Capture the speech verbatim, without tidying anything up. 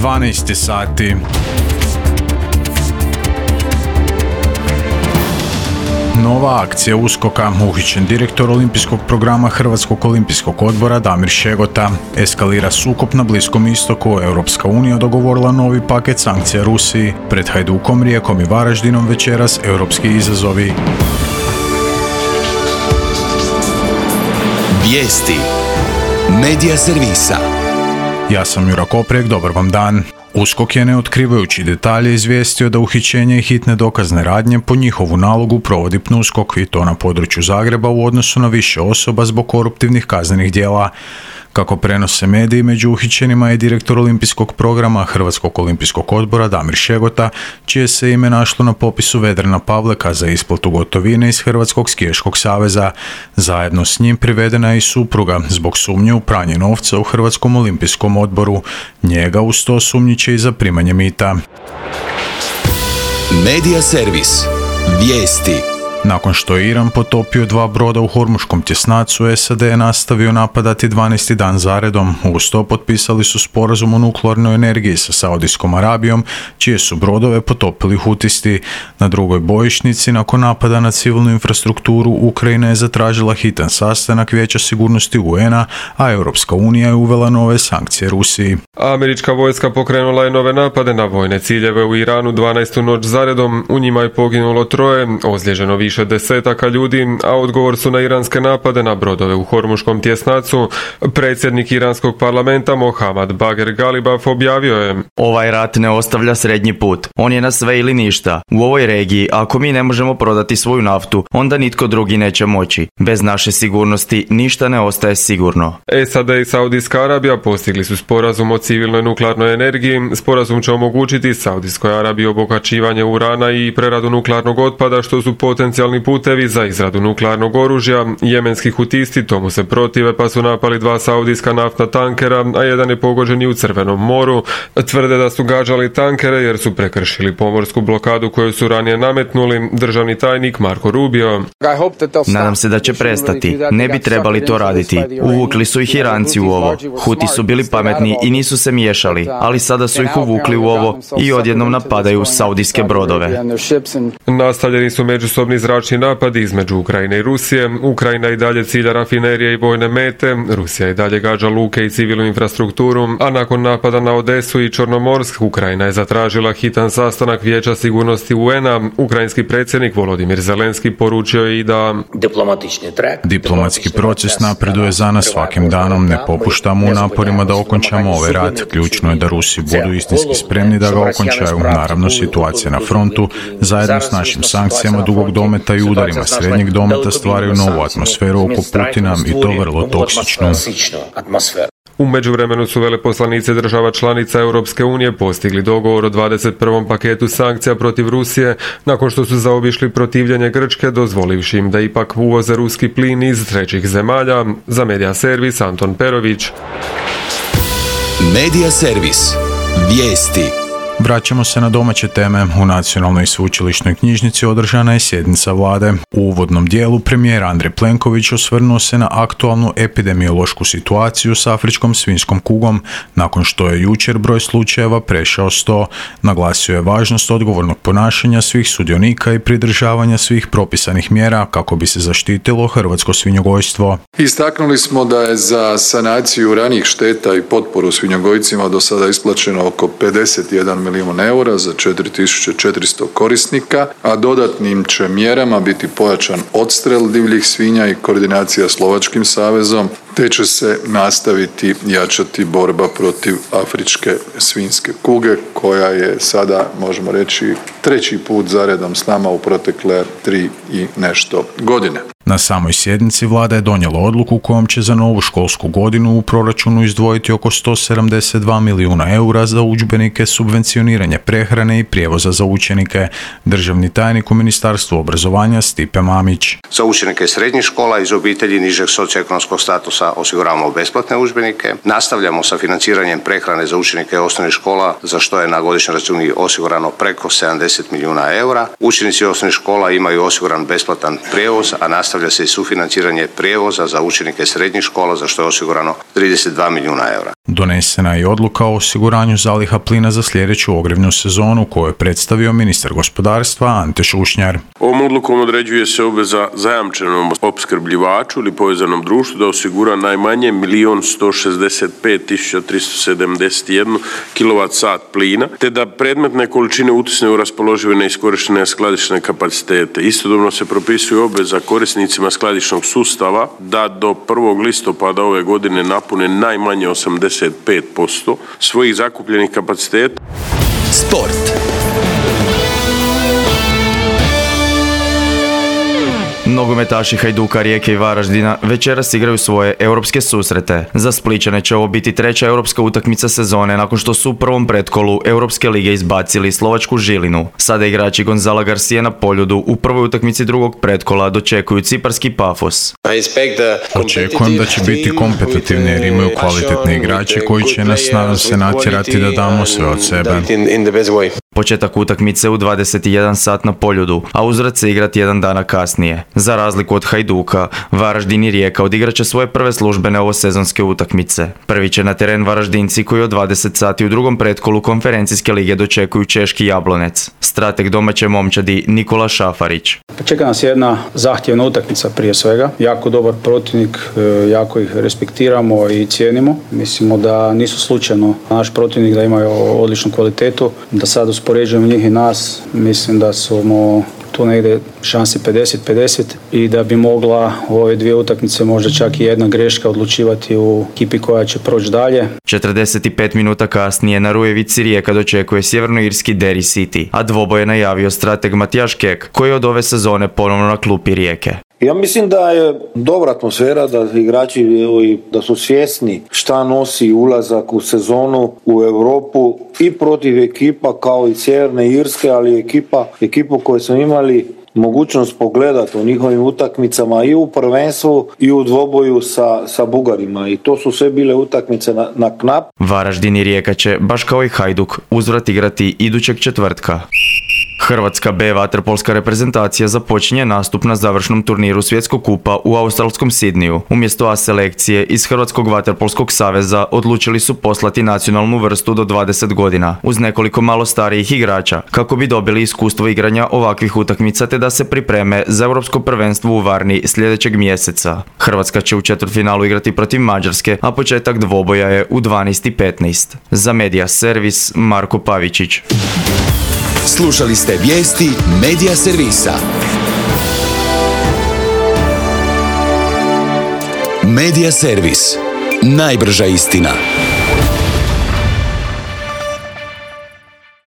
dvanaest sati. Nova akcija uskoka, uhićen direktor olimpijskog programa Hrvatskog olimpijskog odbora Damir Šegota. Eskalira sukob na Bliskom istoku, Europska unija dogovorila novi paket sankcija Rusiji. Pred Hajdukom, Rijekom i Varaždinom večeras europski izazovi. Vijesti Medija servisa. Ja sam Jura Koprijek, dobar vam dan. USKOK je, ne otkrivajući detalje, izvijestio da uhićenje i hitne dokazne radnje po njihovu nalogu provodi PNUSKOK, i to na području Zagreba u odnosu na više osoba zbog koruptivnih kaznenih djela. Kako prenose mediji, među uhićenima je direktor olimpijskog programa Hrvatskog olimpijskog odbora Damir Šegota, čije se ime našlo na popisu Vedrana Pavleka za isplatu gotovine iz Hrvatskog skijaškog saveza. Zajedno s njim privedena je i supruga zbog sumnje u pranje novca u Hrvatskom olimpijskom odboru. Njega uz to sumnjiče i za primanje mita. Medija servis. Vijesti. Nakon što je Iran potopio dva broda u Hormuškom tjesnacu, S A D je nastavio napadati dvanaesti dan zaredom. Uz to potpisali su sporazum o nuklearnoj energiji sa Saudijskom Arabijom, čije su brodove potopili Hutisti. Na drugoj bojišnici, nakon napada na civilnu infrastrukturu, Ukrajina je zatražila hitan sastanak Vijeća sigurnosti U N A, a Europska unija je uvela nove sankcije Rusiji. Američka vojska pokrenula je nove napade na vojne ciljeve u Iranu dvanaestu noć zaredom. U njima je poginulo troje, ozlijeđeno više više desetaka ljudi, a odgovor su na iranske napade na brodove u Hormuškom tjesnacu. Predsjednik iranskog parlamenta Mohammad Bagher Galibaf objavio je: Ovaj rat ne ostavlja srednji put. On je na sve ili ništa. U ovoj regiji, ako mi ne možemo prodati svoju naftu, onda nitko drugi neće moći. Bez naše sigurnosti ništa ne ostaje sigurno. S A D i Saudijska Arabija postigli su sporazum o civilnoj nuklearnoj energiji. Sporazum će omogućiti Saudijskoj Arabiji obogaćivanje urana i preradu nuklearnog otpada, što su potencijalni putevi za izradu nuklearnog oružja. Jemenski hutisti tomu se protive, pa su napali dva saudijska naftna tankera, a jedan je pogođen i u Crvenom moru. Tvrde da su gađali tankere jer su prekršili pomorsku blokadu koju su ranije nametnuli. Državni tajnik Marko Rubio: Nadam se da će prestati. Ne bi trebali to raditi. Uvukli su ih Iranci u ovo. Huti su bili pametni i nisu se miješali, ali sada su ih uvukli u ovo i odjednom napadaju saudijske brodove. Nastavljeni su međusobni zračni napadi između Ukrajine i Rusije. Ukrajina i dalje cilja rafinerije i vojne mete, Rusija i dalje gađa luke i civilnu infrastrukturu, a nakon napada na Odesu i Čornomorsk, Ukrajina je zatražila hitan sastanak Vijeća sigurnosti U N A. Ukrajinski predsjednik Volodimir Zelenski poručio je i da diplomatski proces napreduje za nas svakim danom, ne popuštamo u naporima da okončamo ovaj rat. Ključno je da Rusi budu istinski spremni da ga okončaju. Naravno, situacija na frontu zajedno s našim sankcijama dugog dometa i udarima srednjeg dometa stvaraju novu atmosferu oko Putina, i to vrlo toksičnu. U međuvremenu su veleposlanici država članica Europske unije postigli dogovor o dvadeset prvom paketu sankcija protiv Rusije, nakon što su zaobišli protivljenje Grčke, dozvolivši im da ipak uvoze ruski plin iz trećih zemalja. Za Medija servis Anton Perović. Medija servis. Vijesti. Vraćamo se na domaće teme. U Nacionalnoj sveučilišnoj knjižnici održana je sjednica vlade. U uvodnom dijelu premijer Andrej Plenković osvrnuo se na aktualnu epidemiološku situaciju s afričkom svinjskom kugom, nakon što je jučer broj slučajeva prešao sto. Naglasio je važnost odgovornog ponašanja svih sudionika i pridržavanja svih propisanih mjera kako bi se zaštitilo hrvatsko svinjogojstvo. Istaknuli smo da je za sanaciju ranijih šteta i potporu svinjogojcima do sada isplaćeno oko pedeset jedan milijun eura za četiri tisuće četiristo korisnika, a dodatnim će mjerama biti pojačan odstrel divljih svinja i koordinacija s Lovačkim savezom, te će se nastaviti jačati borba protiv afričke svinjske kuge, koja je sada, možemo reći, treći put zaredom s nama u protekle tri i nešto godine. Na samoj sjednici vlada je donijela odluku kojom će za novu školsku godinu u proračunu izdvojiti oko sto sedamdeset dva milijuna eura za udžbenike, subvencioniranje prehrane i prijevoza za učenike. Državni tajnik u Ministarstvu obrazovanja Stipe Mamić: Za učenike srednjih škola iz obitelji nižeg socioekonomskog statusa iznosa osiguravamo besplatne udžbenike. Nastavljamo sa financiranjem prehrane za učenike osnovnih škola, za što je na godišnjoj računi osigurano preko sedamdeset milijuna eura. Učenici osnovnih škola imaju osiguran besplatan prijevoz, a nastavlja se i sufinanciranje prijevoza za učenike srednjih škola, za što je osigurano trideset dva milijuna eura. Donesena je i odluka o osiguranju zaliha plina za sljedeću ogrjevnu sezonu, koju je predstavio ministar gospodarstva Ante Šušnjar. Ovom odlukom određuje se obveza zajamčenom opskrbljivaču ili povezanom društvu da osigura najmanje milion sto šezdeset pet tisuća tristo sedamdeset jedan kilovat sat plina, te da predmetne količine utisne u raspoložive neiskorištene skladišne kapacitete. Istodobno se propisuje obveza korisnicima skladišnog sustava da do prvog listopada ove godine napune najmanje osamdeset pet posto svojih zakupljenih kapaciteta. Sport. Nogometaši Hajduka, Rijeke i Varaždina večeras igraju svoje europske susrete. Za Splićane će ovo biti treća europska utakmica sezone nakon što su u prvom pretkolu Europske lige izbacili slovačku Žilinu. Sada igrači Gonzala Garcia na Poljudu u prvoj utakmici drugog pretkola dočekuju ciparski Pafos. Očekujem da će biti kompetitivni jer imaju kvalitetne igrače koji će nas, nadam se, natjerati da damo sve od sebe. Početak utakmice u dvadeset jedan sat na Poljudu, a uzvrat se igrati jedan dana kasnije. Za razliku od Hajduka, Varaždin i Rijeka odigrat će svoje prve službene ovosezonske utakmice. Prvi će na teren Varaždinci koji od dvadeset sati u drugom pretkolu konferencijske lige dočekuju češki Jablonec. Strateg domaće momčadi Nikola Šafarić. Čeka nas jedna zahtjevna utakmica prije svega. Jako dobar protivnik, jako ih respektiramo i cijenimo. Mislimo da nisu slučajno naš protivnik, da imaju odličnu kvalitetu. Da sad uspoređujemo njih i nas, mislim da smo tu negdje šanse pedeset pedeset i da bi mogla u ove dvije utakmice možda čak i jedna greška odlučivati u ekipi koja će proći dalje. četrdeset pet minuta kasnije na Rujevici Rijeka dočekuje sjevernoirski Derry City, a dvoboj je najavio strateg Matijaš Kek, koji je od ove sezone ponovno na klupi Rijeke. Ja mislim da je dobra atmosfera, da igrači da su svjesni šta nosi ulazak u sezonu u Europu i protiv ekipa kao i Sjeverne Irske, ali ekipa, ekipu koju smo imali mogućnost pogledati u njihovim utakmicama i u prvenstvu i u dvoboju sa, sa Bugarima i to su sve bile utakmice na, na knap. Varaždin i Rijeka će, baš kao i Hajduk, uzvrat igrati idućeg četvrtka. Hrvatska B vaterpolska reprezentacija započinje nastup na završnom turniru Svjetskog kupa u australskom Sidniju. Umjesto A selekcije iz Hrvatskog vaterpolskog saveza odlučili su poslati nacionalnu vrstu do dvadeset godina uz nekoliko malo starijih igrača kako bi dobili iskustvo igranja ovakvih utakmica te da se pripreme za europsko prvenstvo u Varni sljedećeg mjeseca. Hrvatska će u četvrtfinalu igrati protiv Mađarske, a početak dvoboja je u dvanaest i petnaest. Za Media Servis Marko Pavičić. Slušali ste vijesti Media Servisa. Media Servis. Najbrža istina.